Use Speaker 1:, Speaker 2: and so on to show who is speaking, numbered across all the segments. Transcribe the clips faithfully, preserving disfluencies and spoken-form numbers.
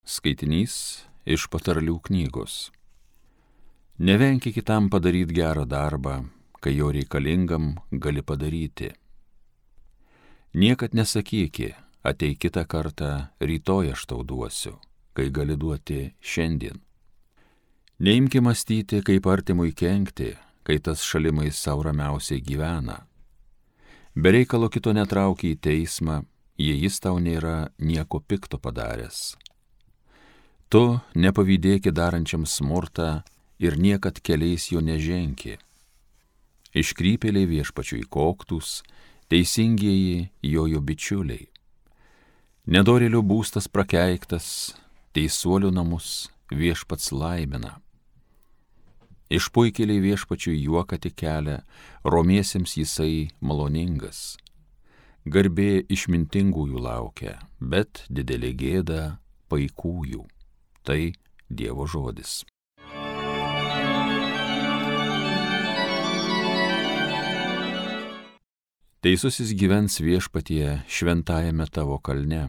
Speaker 1: Skaitinys iš patarlių knygos. Nevenki kitam padaryti gerą darbą, kai jo reikalingam gali padaryti. Niekad nesakyki, ateik kitą kartą, rytoj aš tau duosiu, kai gali duoti šiandien. Neimki mąstyti, kaip artimui kenkti, kai tas šalimais sau ramiausiai gyvena. Be reikalo kito netrauki į teismą, jei jis tau nėra nieko pikto padaręs. Tu nepavydėki darančiam smurtą ir niekad keliais jo neženki. Iškrypėliai viešpačiui koktus, teisingieji jojo bičiuliai. Nedorėlių būstas prakeiktas, teisuolių namus viešpats laimina. Išpuikėliai viešpačiui juoką tik kelia, romiesiems jisai maloningas. Garbė išmintingųjų laukia, bet didelė gėda paikųjų. Tai Dievo žodis. Teisusis gyvens viešpatie šventajame tavo kalne.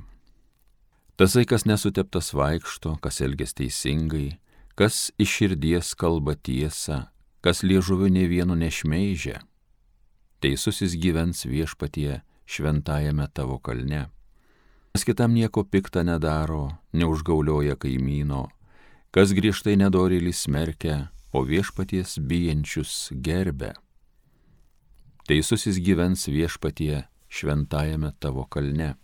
Speaker 1: Tasai, kas nesuteptas vaikšto, kas elgias teisingai, kas iš širdies kalba tiesą, kas liežuviu nė vienu nešmeižia. Teisusis gyvens viešpatie šventajame tavo kalne. Kas kitam nieko pikta nedaro, neužgaulioja kaimyno, kas griežtai nedorėlį smerkia, o viešpaties bijančius gerbia. Teisusis gyvens viešpatie šventajame tavo kalne.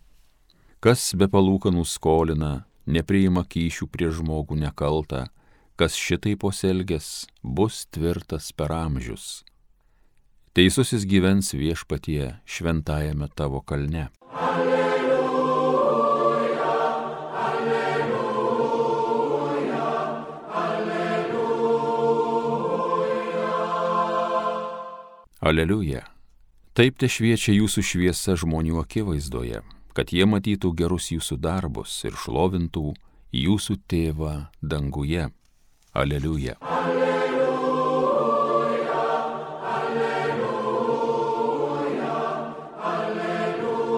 Speaker 1: Kas be palūkanų skolina, nepriima kyšių prie žmogų nekaltą, kas šitaip pasielgęs, bus tvirtas per amžius. Teisusis gyvens viešpatie šventajame tavo kalne.
Speaker 2: Alleluja, alleluja, alleluja.
Speaker 1: Aleliuja. Taip te šviečia jūsų šviesa žmonių akivaizdoje, kad jie matytų gerus jūsų darbus ir šlovintų jūsų tėvą danguje. Aleliuja.
Speaker 2: Alleluja, alleluja, alleluja.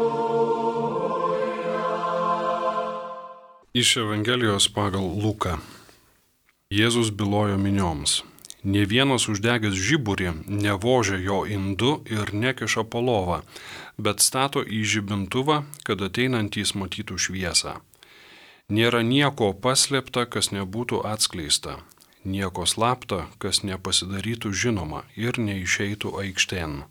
Speaker 3: Iš Evangelijos pagal Luką. Jėzus bylojo minioms. Nė vienas uždegęs žiburį nevožia jo indu ir nekiša po lovą, bet stato į žibintuvą, kad ateinantys matytų šviesą. Nėra nieko paslėpta, kas nebūtų atskleista, nieko slapta, kas nepasidarytų žinoma ir neišeitų aikštėn.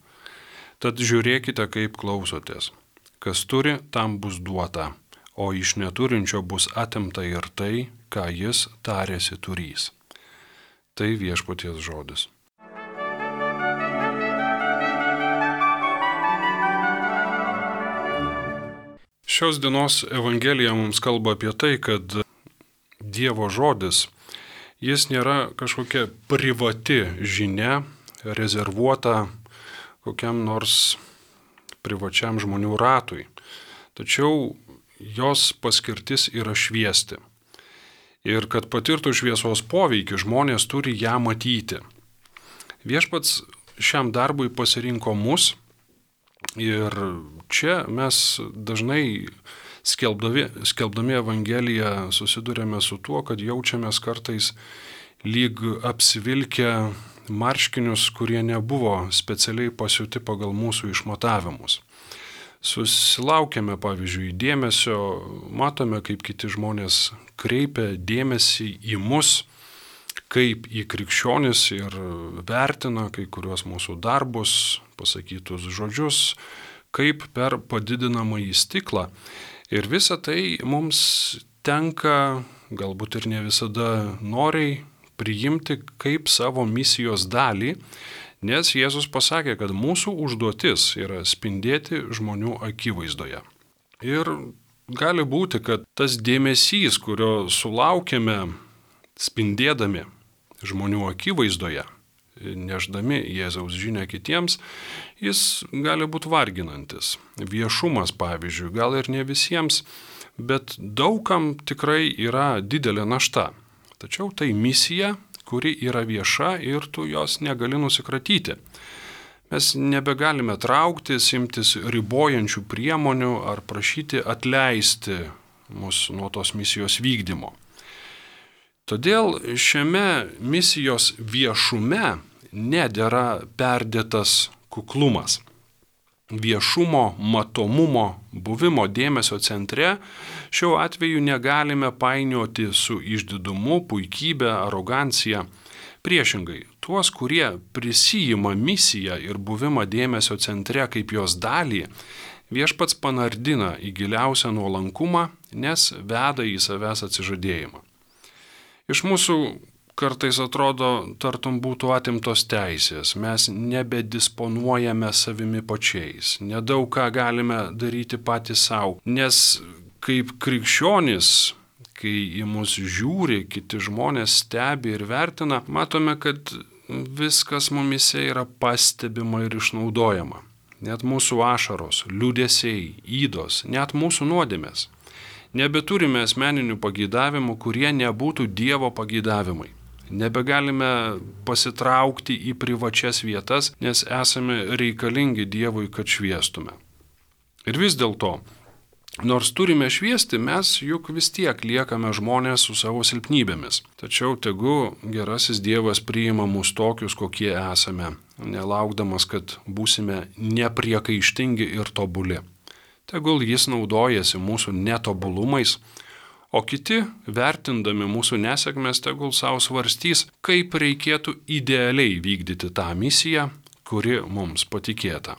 Speaker 3: Tad žiūrėkite, kaip klausotės. Kas turi, tam bus duota, o iš neturinčio bus atimta ir tai, ką jis tarėsi turys. Tai viešpaties žodis. Šios dienos Evangelija mums kalba apie tai, kad Dievo žodis, jis nėra kažkokia privati žinia, rezervuota kokiam nors privačiam žmonių ratui. Tačiau jos paskirtis yra šviesti. Ir kad patirtų šviesos poveikį, žmonės turi ją matyti. Viešpats šiam darbui pasirinko mus ir čia mes dažnai skelbdami, skelbdami Evangeliją susidurėme su tuo, kad jaučiamės kartais lyg apsivilkę marškinius, kurie nebuvo specialiai pasiūti pagal mūsų išmatavimus. Susilaukėme, pavyzdžiui, dėmesio, matome, kaip kiti žmonės kreipia dėmesį į mus, kaip į krikščionis ir vertina kai kuriuos mūsų darbus, pasakytus žodžius, kaip per padidinamąjį stiklą. Ir visa tai mums tenka, galbūt ir ne visada noriai, priimti kaip savo misijos dalį, nes Jėzus pasakė, kad mūsų užduotis yra spindėti žmonių akivaizdoje. Ir gali būti, kad tas dėmesys, kurio sulaukėme spindėdami žmonių akivaizdoje, neždami Jėzaus žinią kitiems, jis gali būti varginantis. Viešumas, pavyzdžiui, gal ir ne visiems, bet daugam tikrai yra didelė našta. Tačiau tai misija, kuri yra vieša ir tu jos negali nusikratyti. Mes nebegalime trauktis, imtis ribojančių priemonių ar prašyti atleisti mus nuo tos misijos vykdymo. Todėl šiame misijos viešume nedėra perdėtas kuklumas. Viešumo, matomumo, buvimo dėmesio centre šiuo atveju negalime painioti su išdidumu, puikybė, arogancija. Priešingai, tuos, kurie prisijima misiją ir buvimą dėmesio centre kaip jos dalį, viešpats panardina į giliausią nuolankumą, nes veda į savęs atsižadėjimą. Iš mūsų kartais atrodo, tartum būtų atimtos teisės, mes nebedisponuojame savimi pačiais, nedaug ką galime daryti patys savo, nes kaip krikščionys, kai į mus žiūri, kiti žmonės stebi ir vertina, matome, kad viskas mumise yra pastebima ir išnaudojama. Net mūsų ašaros, liūdesiai, ydos, net mūsų nuodėmės. Nebeturime asmeninių pageidavimų, kurie nebūtų Dievo pageidavimai. Nebegalime pasitraukti į privačias vietas, nes esame reikalingi Dievui, kad šviestume. Ir vis dėlto, nors turime šviesti, mes juk vis tiek liekame žmonės su savo silpnybėmis. Tačiau tegu gerasis Dievas priima mus tokius, kokie esame, nelaukdamas, kad būsime nepriekaištingi ir tobuli. Tegul jis naudojasi mūsų netobulumais, o kiti, vertindami mūsų nesėkmės, tegul savo svarstys, kaip reikėtų idealiai vykdyti tą misiją, kuri mums patikėta.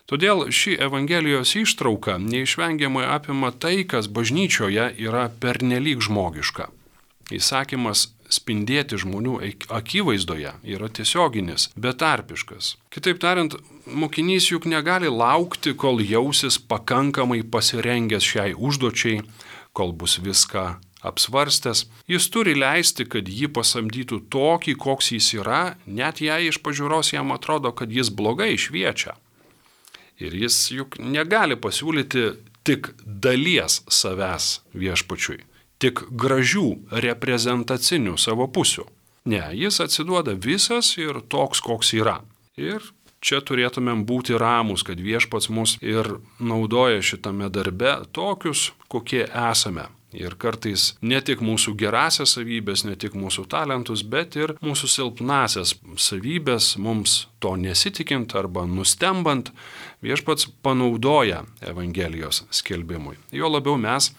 Speaker 3: Todėl ši Evangelijos ištrauka neišvengiamai apima tai, kas bažnyčioje yra pernelyg žmogiška. Įsakymas spindėti žmonių akivaizdoje yra tiesioginis, betarpiškas. Kitaip tariant, mokinys juk negali laukti, kol jausis pakankamai pasirengęs šiai užduočiai, kol bus viską apsvarstęs. Jis turi leisti, kad jį pasamdytų tokį, koks jis yra, net jei iš pažiūros jam atrodo, kad jis blogai šviečia. Ir jis juk negali pasiūlyti tik dalies savęs viešpačiui, tik gražių reprezentacinių savo pusių. Ne, jis atsiduoda visas ir toks, koks yra. Ir čia turėtumėm būti ramus, kad viešpats mus ir naudoja šitame darbe tokius, kokie esame. Ir kartais ne tik mūsų gerasias savybės, ne tik mūsų talentus, bet ir mūsų silpnasias savybės, mums to nesitikint arba nustembant, viešpats panaudoja Evangelijos skelbimui. Jo labiau mes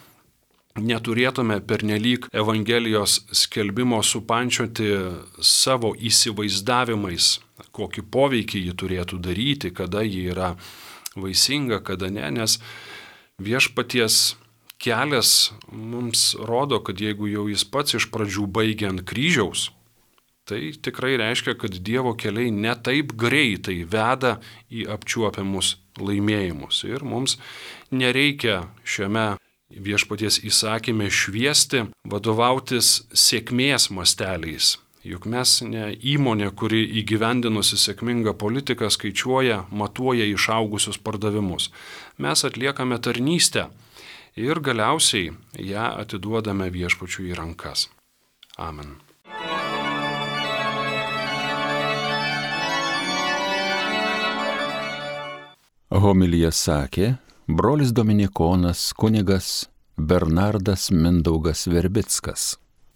Speaker 3: neturėtume pernelyg Evangelijos skelbimo supančioti savo įsivaizdavimais, kokį poveikį ji turėtų daryti, kada ji yra vaisinga, kada ne, nes viešpaties kelias mums rodo, kad jeigu jau jis pats iš pradžių baigia ant kryžiaus, tai tikrai reiškia, kad Dievo keliai ne taip greitai veda į apčiuopiamus laimėjimus. Ir mums nereikia šiame viešpaties įsakyme šviesti, vadovautis sėkmės masteliais. Juk mes ne įmonė, kuri įgyvendinusi sėkmingą politiką skaičiuoja, matuoja išaugusius pardavimus. Mes atliekame tarnystę ir galiausiai ją atiduodame viešpačiui į rankas. Amen.
Speaker 1: Homiliją sakė brolis dominikonas kunigas Bernardas Mindaugas Verbickas.